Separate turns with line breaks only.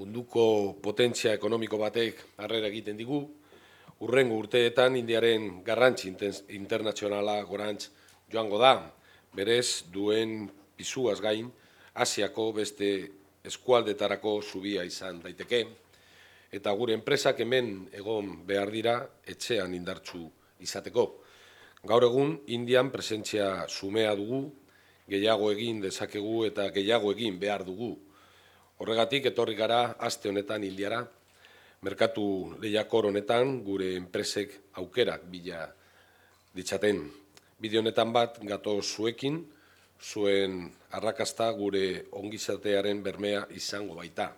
munduko potentzia ekonomiko batek harrera egiten digu, hurrengo urteetan Indiaren garrantzi internazionala gorantz joango da, berez duen pisuaz gain, Asiako beste eskualdetarako zubia izan daiteke, eta gure enpresak hemen egon behar dira etxean indartsu izateko. Gaur egun, Indian presentzia sumea dugu, gehiago egin dezakegu eta gehiago egin behar dugu. Horregatik, etorri gara aste honetan Indiara, merkatu lehiakor honetan gure enpresek aukerak bila ditzaten. Bide honetan bat gatoz zuekin, zuen arrakasta gure ongizatearen bermea izango baita.